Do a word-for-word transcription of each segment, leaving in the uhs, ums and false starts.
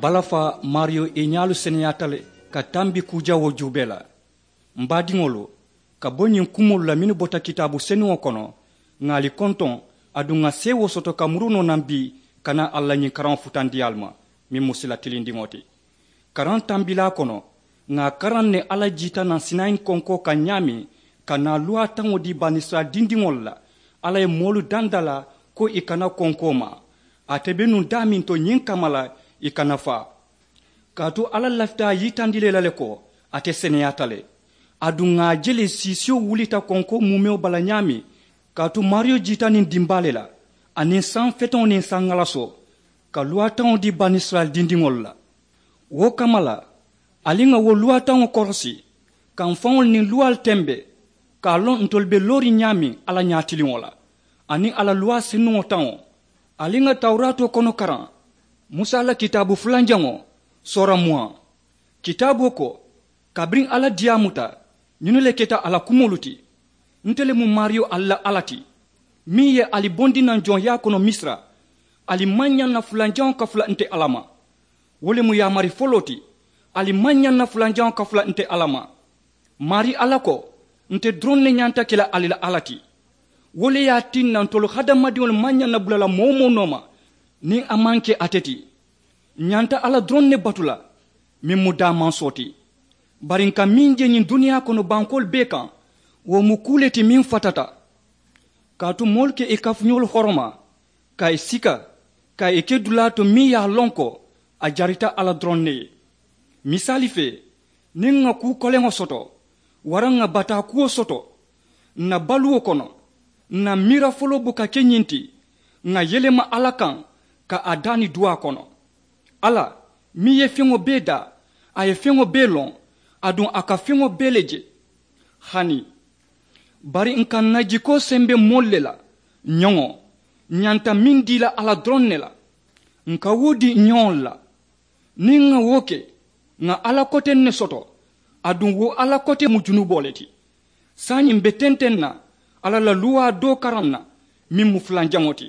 Balafa maariyo i ñaalu seneyaata le ka tambi kuu jawoo juubee la. M baadiŋolu, ka bo ñiŋ kumoolu la mennu bota kitaabu senuŋo kono, ŋà ali kontoŋ, aduŋ ŋà seewoo soto ka muru noo naŋ bii ka naa alla ñiŋ karaŋo futandi ali ma, meŋ mu sila tilindiŋo ti. Karaŋ tambilaa kono, ŋà a karaŋ ne alla jiita naŋ sinayi konkoo kaŋ ñaameŋ, ka naa luwaa taŋo dii banisirayila dindiŋolu la. Alla ye moolu danda la ko ì kana konkoo maa. Ate be nuŋ daameŋ to ñiŋ kamma la, ì kana faa. Kaatu alla lafita a yitandi le la le ko ate seneyaata le. Aduŋ ŋà a je le siisiyo wulita konkoo muumewo bala ñaameŋ. Kaatu maariyo jiita niŋ dimbaa le la, aniŋ saŋ feteŋo niŋ saŋ ŋalasoo, ka luwaa taŋo dii banisirayila dindiŋolu la. Wo kamma la, ali ŋà wo luwaa taŋo korosi, ka m faŋolu niŋ luwaalu tembe, ka a loŋ ntolu be looriŋ ñaameŋ alla ñaatiliŋo la, aniŋ a la luwaa senuŋo taŋo. Ali ŋà tawuraatoo kono karaŋ, musa la kitaabu fulanjaŋo, soora muwaŋ. Kitaaboo ko, kabiriŋ alla diyaamuta, ñinnu le keta a la kumoolu ti. Nte le mu maariyo ali la alla ti, meŋ ye ali bondi naŋ joŋyaa kono misira. Ali maŋ ñaŋ na fulanjaŋo kafula nte alla ma. Wo le mu yaamari foloo ti. Ali maŋ ñaŋ na fulanjaŋo kafula nte alla ma. Maarii alla ko, nte doroŋ ne ñanta ke la ali la alla ti. Wo le ye a tinna ntolu hadamadiŋolu maŋ ñaŋ na bula la moo-wo-moo nooma, niŋ a maŋ ke ate ti. Ǹ ñanta alla doroŋ ne batu la, meŋ mu daamansoo ti. Bari ǹ ka meŋ je ñiŋ duniyaa kono bankoolu bee kaŋ, wo mu kuu le ti meŋ fatata. Kaatu moolu ka ì kafuñoolu horoma, ka ì sika, ka ì ke dulaa to meŋ ye a loŋ ko a jarita alla doroŋ ne ye. Misaali fee, niŋ ŋà kuu koleŋo soto, waraŋ ŋà bataa kuwo soto, ǹ na baluwo kono, ǹ na miira foloo buka ke ñiŋ ti, ŋà yelema alla kaŋ, ka a daani duwaa kono. Alla, meŋ ye feŋo bee daa, a ye feŋo bee loŋ, aduŋ a ka feŋo bee le je. Hani, bari ǹ ka ǹ na jikoo sembe moolu le la, ñoŋo, ǹ ñanta meŋ dii la alla doroŋ ne la. Ǹ ka wo dii ǹ ñoŋolu la. Niŋ ŋà wo ke, ŋà alla koteŋ ne soto. Aduŋ wo alla kote mu junuboo le ti. Saayiŋ m̀ be tenteŋ na alla la luwaa doo karaŋ na, meŋ mu fulanjaŋo ti.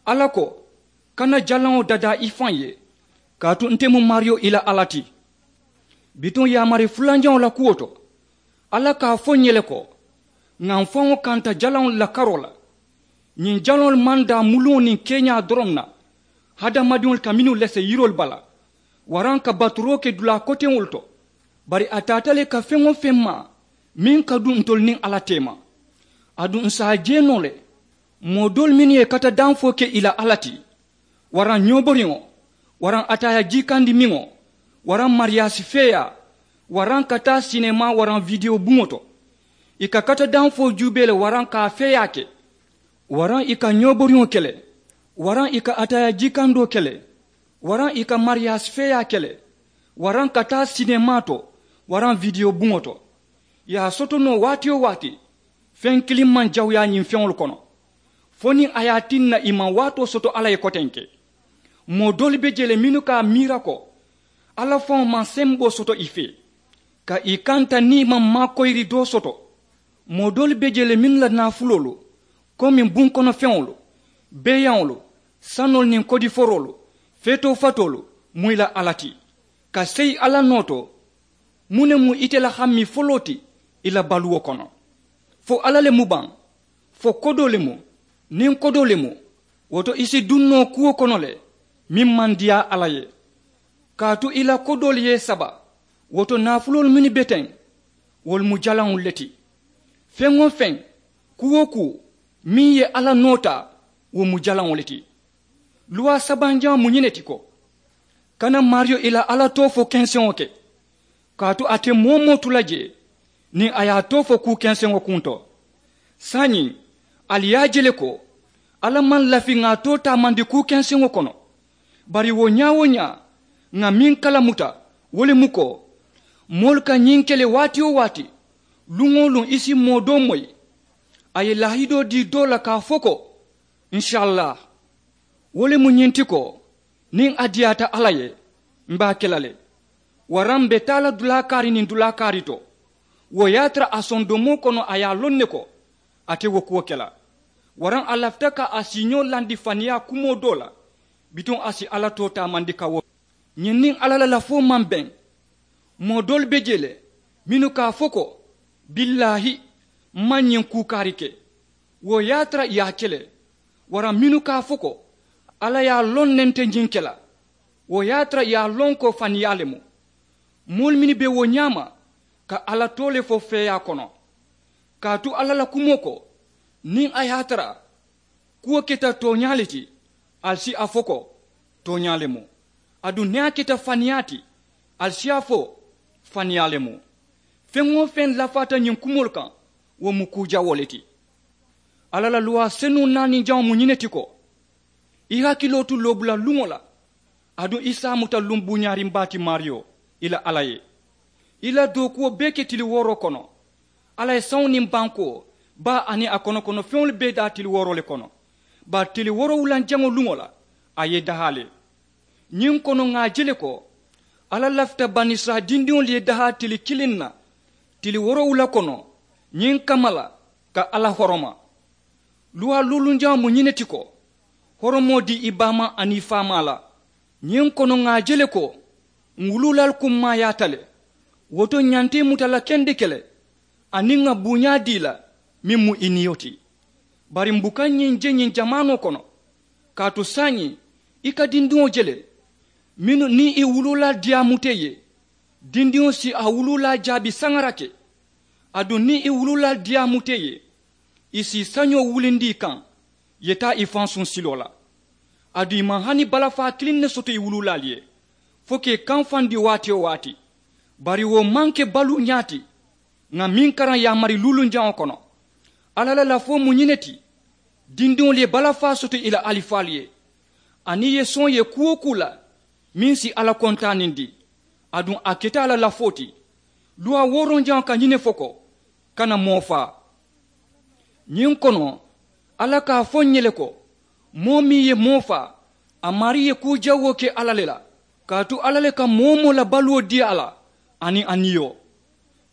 Alla ko, kana jalaŋo dadaa i faŋ ye, kaatu nte mu maariyo i la alla ti. Bituŋ yaamari fulanjaŋo la kuwo to, alla ka a fo ǹ ye le ko, ŋà m faŋo kanta jalaŋolu la karoo la. Ñiŋ jalaŋolu maŋ daa muluŋo niŋ keeñaa doroŋ na, hadamadiŋolu ka mennu lese yiroolu bala, waraŋ ka baturoo ke dulaa koteŋolu to. Bari a taata le ka feŋ-wo-feŋ maa meŋ ka duŋ ntolu niŋ alla teema. Aduŋ ǹ si a je noo le, moo doolu mennu ye kata danfoo ke ì la alla ti, waraŋ ñooboriŋo, waraŋ ataayaa jiikandimiŋo, waraŋ mariyaasi feeyaa, waraŋ ka taa sinemaa waraŋ widewo buŋo to. Ì ka kata danfoo juubee le waraŋ ka a feeyaa ke, waraŋ ì ka ñooboriŋo ke le, waraŋ ì ka ataayaa jiikandoo ke le, waraŋ ì ka mariyaasi feeyaa ke le, waraŋ ka taa sinemaa to, waraŋ widewo buŋo to. Ì ye a soto noo waati-wo-waati, feŋ kiliŋ maŋ jawuyaa ñiŋ feŋolu kono, fo niŋ a ye a tinna ì maŋ waatoo soto alla ye kotenke. Moo doolu be jee le mennu ka a miira ko, alla faŋo maŋ semboo soto ì fee, ka ì kanta niŋ ì maŋ maakoyiri doo soto. Moo doolu be jee le mennu la naafuloolu, komi bunkonofeŋolu, beeyaŋolu, sanoolu niŋ kodiforoolu, feetoo fatoolu, mu ì la alla ti, ka seyi alla noo to. Muŋ ne mu ite la hammii foloo ti ì la baluwo kono? Fo alla le mu baŋ? Fo kodoo le mu? Niŋ kodoo le mu, wo to ì si duŋ noo kuwo kono le, meŋ maŋ diyaa alla ye. Kaatu ì la kodoolu ye ì saba, wo to naafuloolu mennu be teŋ, wolu mu jalaŋolu le ti. Feŋ-wo-feŋ, kuu-wo-kuu, meŋ ye alla noo taa, wo mu jalaŋo le ti. Luwaa sabanjaŋo mu ñiŋ ne ti ko, kana maariyo ì la alla too fo kenseŋo ke, kaatu a te moo-wo-moo tu la jee niŋ a ye a too fo kuu kenseŋo kuŋ to. Saayiŋ, ali ye a je le ko, alla maŋ lafi ŋà a too taamandi kuu kenseŋo kono. Bari wo ñaa-wo-ñaa, ŋà meŋ kalamuta, wo le mu ko, moolu ka ñiŋ ke le waati-wo-waati, luŋ-wo-luŋ ì si moo doo moyi, a ye laahidoo dii doo la ka a fo ko, nsiyalla. Wo le mu ñiŋ ti ko, niŋ a diyaata alla ye, m̀ be a ke la le. Waraŋ m̀ be taa la dulaa kaari niŋ dulaa kaari to, wo ye a tara a sondomoo kono a ye a loŋ ne ko, a te wo kuwo ke la. Waraŋ a lafita ka a siiñoo landi faniyaa kumoo doo la, bituŋ a si alla too taamandi ka wo. Ñiŋ niŋ alla la lafoo maŋ beŋ. Moo doolu be jee le mennu ka a fo ko, billaahi, m maŋ ñiŋ kuu kaari ke. Wo ye a tara ì ye a ke le. Waraŋ mennu ka a fo ko, alla ye a loŋ ne nte ñiŋ ke la. Wo ye a tara ì ye a loŋ ko faniyaa le mu. Moolu mennu be wo ñaama ka alla too le fo feeyaa kono. Kaatu alla la kumoo ko, niŋ a ye a tara kuwo keta tooñaa le ti, ali si a fo ko, tooñaa le mu. Aduŋ niŋ a keta faniyaa ti, ali si a fo, faniyaa le mu. Feŋ-wo-feŋ lafaata ñiŋ kumoolu kaŋ, wo mu kuu jawoo le ti. Alla la luwaa senuŋ naaniŋ jaŋo mu ñiŋ ne ti ko, i hakiloo tu loobula luŋo la. Aduŋ i si a muta luŋ buuñaariŋ baa ti maariyo, i la alla ye. I la dookuwo bee ke tili wooroo kono. Alla ye saŋo niŋ bankoo, baa aniŋ a kono kono feŋolu bee daa tili wooroo le kono. Bari tili woorowulanjaŋo luŋo la, a ye i dahaa le. Ñiŋ kono ŋà a je le ko, alla lafita banisirayila dindiŋolu ye dahaa tili kiliŋ na, tili woorowula kono, ñiŋ kamma la, ka alla horoma. Luwaa luulunjaŋo mu ñiŋ ne ti ko, horomoo dii i baamaa aniŋ i faamaa la. Ñiŋ kono ŋà a je le ko, ǹ wuluulaalu kummaayaata le. Wo to ñanta i muta la kendeke le, aniŋ ŋà buuñaa dii i la, meŋ mu i niyo ti. Bari m̀ buka ñiŋ je ñiŋ jamaanoo kono. Kaatu saayiŋ, i ka dindiŋo je le, mennu niŋ i wuluulaalu diyaamuta i ye, dindiŋo si a wuluulaa jaabi saŋarake. Aduŋ niŋ i wuluulaalu diyaamuta i ye, i si i sañoo wulindi i kaŋ, i ye taa i fansuŋ siloo la. Aduŋ i maŋ hani balafaa kiliŋ ne soto i wuluulaalu ye, fo ka i kamfandi waati-wo-waati. Bari wo maŋ ke baluuñaa ti. Ŋà meŋ karaŋ yaamari luulunjaŋo kono, alla la lafoo mu ñiŋ ne ti, dindiŋolu ye balafaa soto i la alifaalu ye, aniŋ i ye soŋ ye kuu-wo-kuu la, meŋ si alla kontaanindi. Aduŋ a keta a la lafoo ti. Luwaa wooronjaŋo ka ñiŋ ne fo ko, kana moo faa. Ñiŋ kono, alla ka a fo ǹ ye le ko, moo meŋ ye moo faa, a maarii ye kuu jawoo ke alla le la. Kaatu alla le ka moo-wo-moo la baluwo dii a la, aniŋ a niyo.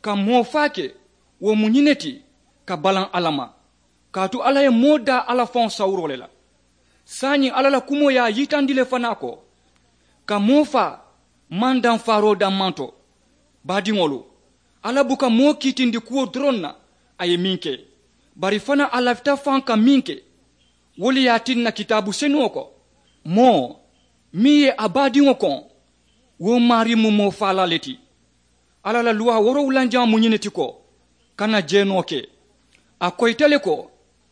Ka moo faa ke, wo mu ñiŋ ne ti, ka balaŋ alla ma. Kaatu alla ye moo daa alla faŋo sawuroo le la. Saayiŋ alla la kumoo ye a yitandi le fanaa ko, ka moo faa maŋ daŋ faaroo dammaŋ to. Baadiŋolu, alla buka moo kiitindi kuwo doroŋ na, a ye meŋ ke, bari fanaa a lafita faŋ ka meŋ ke. Wo le ye a tinna kitaabu senuŋo ko, moo meŋ ye a baadiŋo koŋ, wo maarii mu moo faalaa le ti. Alla la luwaa woorowulanjaŋo mu ñiŋ ne ti ko, kana jeenoo ke. A koyita le ko,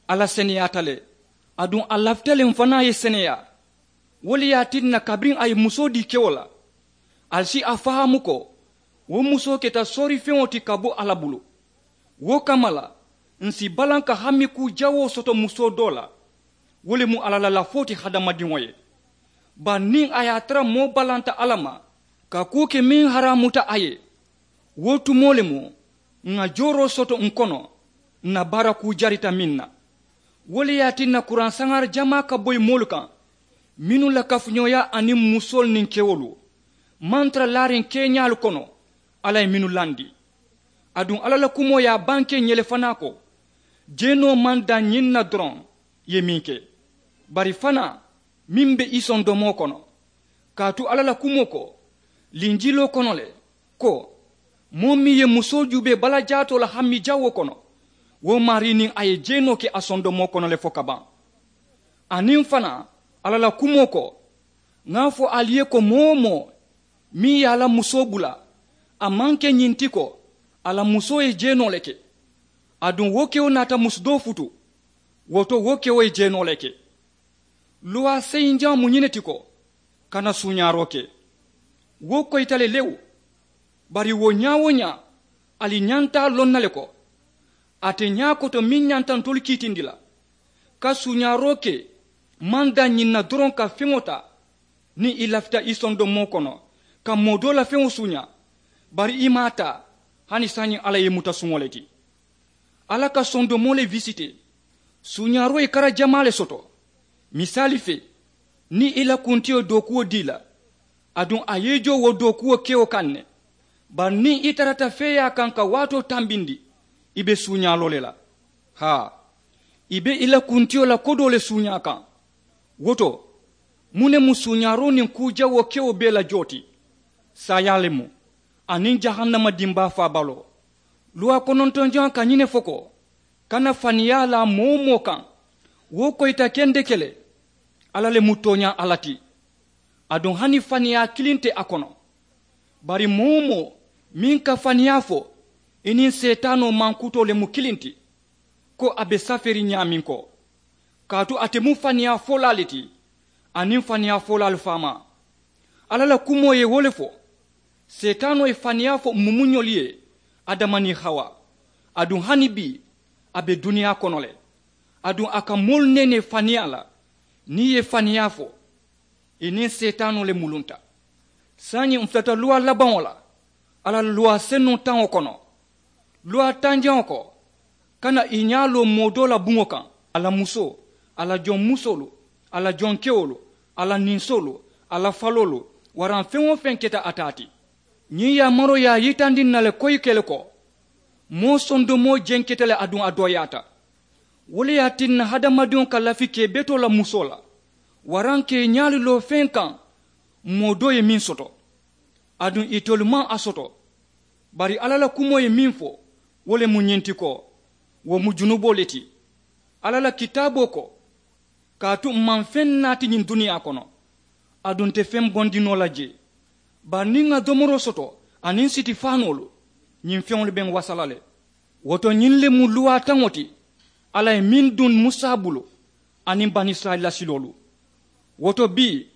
alla seneyaata le. Aduŋ a lafita le m fanaa ye seneyaa. Wo le ye a tinna kabiriŋ a ye musoo dii kewo la, ali si a fahaamu ko, wo musoo keta soorifeŋo ti ka bo alla bulu. Wo kamma la, ǹ si balaŋ ka hami kuu jawoo soto musoo doo la. Wo le mu alla la lafoo ti hadamadiŋo ye. Bari niŋ a ye a tara moo balanta alla ma, ka kuu ke meŋ haraamuta a ye, wo tumoo le mu ŋà jooroo soto ǹ kono, ǹ na baara kuu jarita meŋ na. Wo le ye a tinna kuraŋ saŋaari jamaa ka boyi moolu kaŋ, mennu la kafuñooyaa aniŋ musoolu niŋ kewolu maŋ tara laariŋ keeñaalu kono, alla ye mennu landi. Aduŋ alla la kumoo ye a banke ǹ ye le fanaa ko, jeenoo maŋ daŋ ñiŋ na doroŋ, ì ye meŋ ke, bari fanaa meŋ be i sondomoo kono. Kaatu alla la kumoo ko linjiloo kono le, ko, moo meŋ ye musoo juubee balajaatoo la hami jawoo kono, wo maarii niŋ a ye jeenoo ke a sondomoo kono le fo ka baŋ. Aniŋ fanaa, alla la kumoo ko, ŋà a fo ali ye ko moo-wo-moo meŋ ye a la musoo bula, a maŋ ke ñiŋ ti ko, a la musoo ye jeenoo le ke. Aduŋ wo kewo naata musu doo futu, wo to wo kewo ye jeenoo le ke. Luwaa seyinjaŋo mu ñiŋ ne ti ko, kana suuñaaroo ke. Wo koyita le lewu. Bari wo ñaa-wo-ñaa, ali ñanta a loŋ na le ko, ate ñaa koto meŋ ñanta ntolu kiitindi la, ka suuñaaroo ke maŋ daŋ ñiŋ na doroŋ ka feŋo taa, niŋ i lafita i sondomoo kono, ka moo doo la feŋo suuñaa, bari i maŋ a taa. Hani saayiŋ alla ye i muta suŋo le ti. Alla ka sondomoo le wisitee. Suuñaaroo ye kara jamaa le soto. Misaali fee, niŋ i la kuntiyo dookuwo dii la, aduŋ a ye i joo wo dookuwo kewo kaŋ ne. Bari niŋ i tarata feeyaa kaŋ ka waatoo tambindi, i be suuñaaloo le la. Haa, i be i la kuntiyo la kodoo le suuñaa kaŋ. Wo to, Muŋ ne mu suuñaaroo niŋ kuu jawoo kewo bee la joo ti? Saayaa le mu, aniŋ jahannama dimbaa faabaloo. Luwaa konontonjaŋo ka ñiŋ ne fo ko, kana faniyaa laa moo-wo-moo kaŋ. Wo koyita kendeke le, alla le mu tooñaa alla ti. Aduŋ hani faniyaa kiliŋ te a kono. Bari moo-wo-moo meŋ ka faniyaa fo, i niŋ seetaanoo mankutoo le mu kiliŋ ti, ko a be safeeriŋ ñaameŋ ko. Kaatu ate mu faniyaa folaa le ti, aniŋ faniyaa folaalu faamaa. Alla la kumoo ye wo le fo. Seetaanoo ye faniyaa fo mumuñolu ye, adama niŋ hawa. Aduŋ hani bii, a be duniyaa kono le. Aduŋ a ka moolu neenee faniyaa la. Niŋ i ye faniyaa fo, i niŋ seetaanoo le mulunta. Saayiŋ m̀ futata luwaa labaŋo la, alla la luwaa senuŋ taŋo kono. Luwaa tanjaŋo ko, kana i ñaa loo moo doo la buŋo kaŋ, a la musoo, a la joŋ musoolu, a la joŋ kewolu, a la ninsoolu, a la faloolu, waraŋ feŋ-wo-feŋ keta a taa ti. Ñiŋ yaamaroo ye a yitandi ǹ na le koyi ke le ko, moo sondomoo jenketa le aduŋ a dooyaata. Wo le ye a tinna hadamadiŋo ka lafi ka i betoo la musoo la, waraŋ ka i ñaalu loo feŋ kaŋ moo doo ye meŋ soto, aduŋ itelu maŋ a soto. Bari alla la kumoo ye meŋ fo, wo le mu ñiŋ ti ko, wo mu junuboo le ti. Alla la kitaaboo ko, kaatu m̀ maŋ feŋ naati ñiŋ duniyaa kono, aduŋ nte feŋ bondi noo la jee. Bari niŋ ŋà domoroo soto aniŋ sitifaanoolu, ñiŋ feŋolu be ǹ wasa la le. Wo to ñiŋ le mu luwaa taŋo ti, alla ye meŋ duŋ musa bulu, aniŋ banisirayila siloolu. Wo to bii,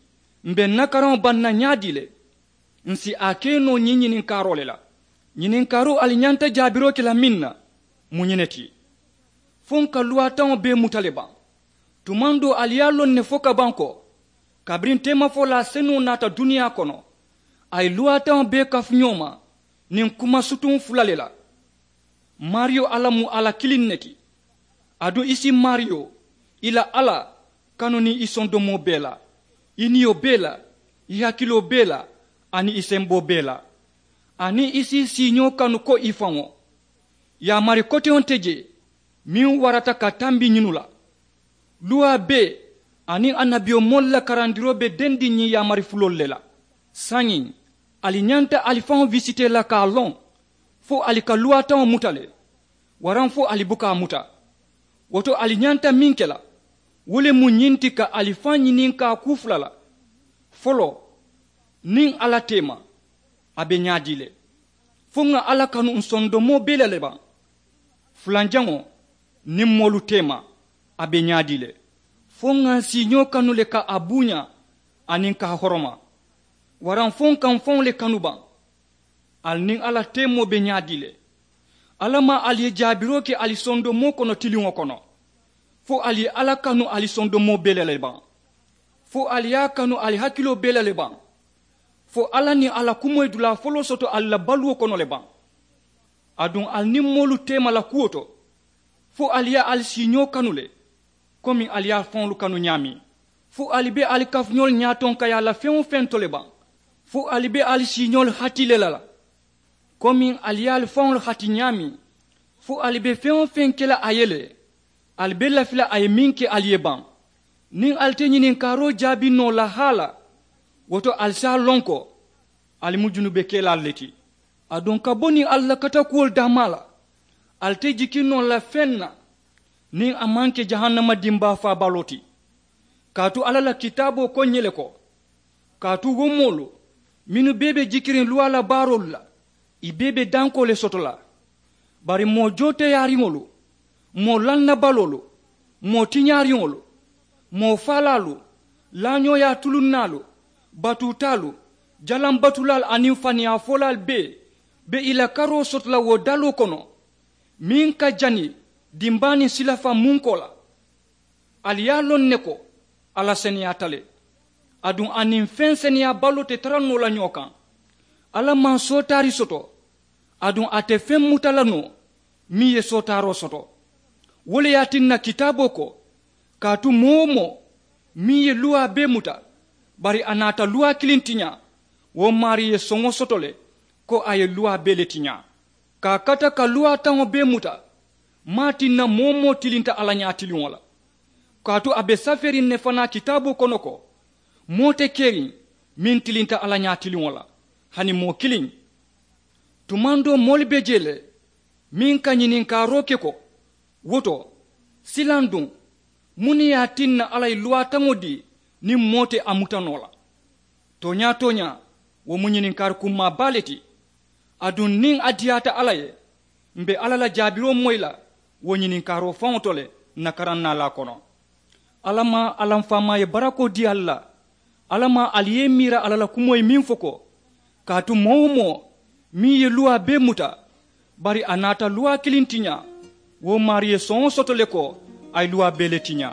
m̀ be ǹ na karaŋo baŋ na ñaadii le? Ǹ si a ke noo ñiŋ ñininkaaroo le la. Ñininkaaroo ali ñanta jaabiroo ke la meŋ na, mu ñiŋ ne ti. Fo ǹ ka luwaa taŋo bee muta le baŋ? Tumaŋ doo ali ye a loŋ ne fo ka baŋ ko, kabiriŋ teemafolaa senuŋo naata duniyaa kono, a ye luwaa taŋo bee kafu ñoo ma niŋ kuma sutuŋ fula le la. Maariyo alla mu alla kiliŋ ne ti. Aduŋ i si maariyo, i la alla, kanu niŋ i sondomoo bee la, i niyo bee la, i hakiloo bee la, aniŋ i semboo bee la. Aniŋ i si i siiñoo kanu ko i faŋo. Yaamari koteŋo te jee meŋ warata ka tambi ñinu la. Luwaa bee aniŋ annabiyomoolu la karandiroo be dendiŋ ñiŋ yaamari fuloolu le la. Saayiŋ, ali ñanta ali faŋo wisitee la ka a loŋ, fo ali ka luwaa taŋo muta le, waraŋ fo ali buka a muta. Wo to ali ñanta meŋ ke la, wo le mu ñiŋ ti ka ali faŋ ñininkaa kuu fula la. Foloo, niŋ alla teema, a be ñaadii le? Fo ŋà alla kanu ǹ sondomoo bee la le baŋ? Fulanjaŋo, niŋ moolu teema, a be ñaadii le? Fo ŋà ǹ siiñoo kanu le ka a buuñaa aniŋ ka a horoma? Waraŋ fo ǹ ka ǹ faŋo le kanu baŋ? Ali niŋ alla teemoo be ñaadii le? Alla maŋ ali ye jaabiroo ke ali sondomoo kono tiliŋo kono. Fo ali ye alla kanu ali sondomoo bee la le baŋ? Fo ali ye a kanu ali hakiloo bee la le baŋ? Fo alla niŋ a la kumoo ye dulaa foloo soto ali la baluwo kono le baŋ? Aduŋ ali niŋ moolu teema la kuwo to, fo ali ye ali siiñoo kanu le, komi ali ye ali faŋolu kanu ñaameŋ? Fo ali be ali kafuñoolu ñaatonkayaa la feŋ-wo-feŋ to le baŋ? Fo ali be ali siiñoolu hati le la la, komi ali ye ali faŋolu hati ñaameŋ? Fo ali be feŋ-wo-feŋ ke la a ye le, ali be lafi la a ye meŋ ke ali ye baŋ? Niŋ ali te ñininkaaroo jaabi noo la haa la, wo to ali si a loŋ ko ali mu junubekelaalu le ti. Aduŋ ka bo niŋ alla la katakuwolu daamaa la, ali te jiki noo la feŋ na niŋ a maŋ ke jahannama dimbaa faabaloo ti. Kaatu alla la kitaaboo ko ǹ ye le ko, kaatu wo moolu mennu bee be jikiriŋ luwaa la baaroolu la, ì bee be dankoo le soto la. Bari moo jooteyaariŋolu, moo lannabaloolu, moo tiñaariŋolu, moo faalaalu, laañooyaa tulunnaalu, batuutaalu, jalambatulaalu aniŋ faniyaafolaalu bee be ì la karoo soto la wo daloo kono, meŋ ka jani dimbaa niŋ silafaŋ munkoo la. Ali ye a loŋ ne ko alla seneyaata le. Aduŋ a niŋ feŋ seneyaabaloo te tara noo la ñoo kaŋ. Alla maŋ sootaari soto, aduŋ a te feŋ muta la noo meŋ ye sootaaroo soto. Wo le ye a tinna kitaaboo ko, kaatu moo-wo-moo meŋ ye luwaa bee muta, bari a naata luwaa kiliŋ tiñaa, wo maarii ye soŋo soto le ko a ye luwaa bee le tiñaa. Ka a kata ka luwaa taŋo bee muta, maŋ a tinna moo-wo-moo tilinta alla ñaatiliŋo la. Kaatu a be safeeriŋ ne fanaa kitaaboo kono ko, Moo te keriŋ meŋ tilinta alla ñaatiliŋo la hani moo kiliŋ. Tumandoo moolu be jee le meŋ ka ñininkaaroo ke ko, wo to silaŋ duŋ, muŋ ne ye a tinna alla ye luwaataŋo dii niŋ moo te a muta noo la? Tooñaa-tooñaa, wo mu ñininkaari kummaa baa le ti. Aduŋ niŋ a diyaata alla ye, m̀ be alla la jaabiroo moyi la wo ñininkaaroo faŋo to le. Ǹ na karaŋ naalaa kono, alla maŋ a la m̀ faamaa ye barakoo dii ali la. Alla maŋ ali ye i miira alla la kumoo ye meŋ fo ko, kaatu moo-wo-moo meŋ ye luwaa bee muta, bari a naata luwaa kiliŋ tiñaa, wo maarii ye soŋo soto le ko a ye luwaa bee le tiñaa.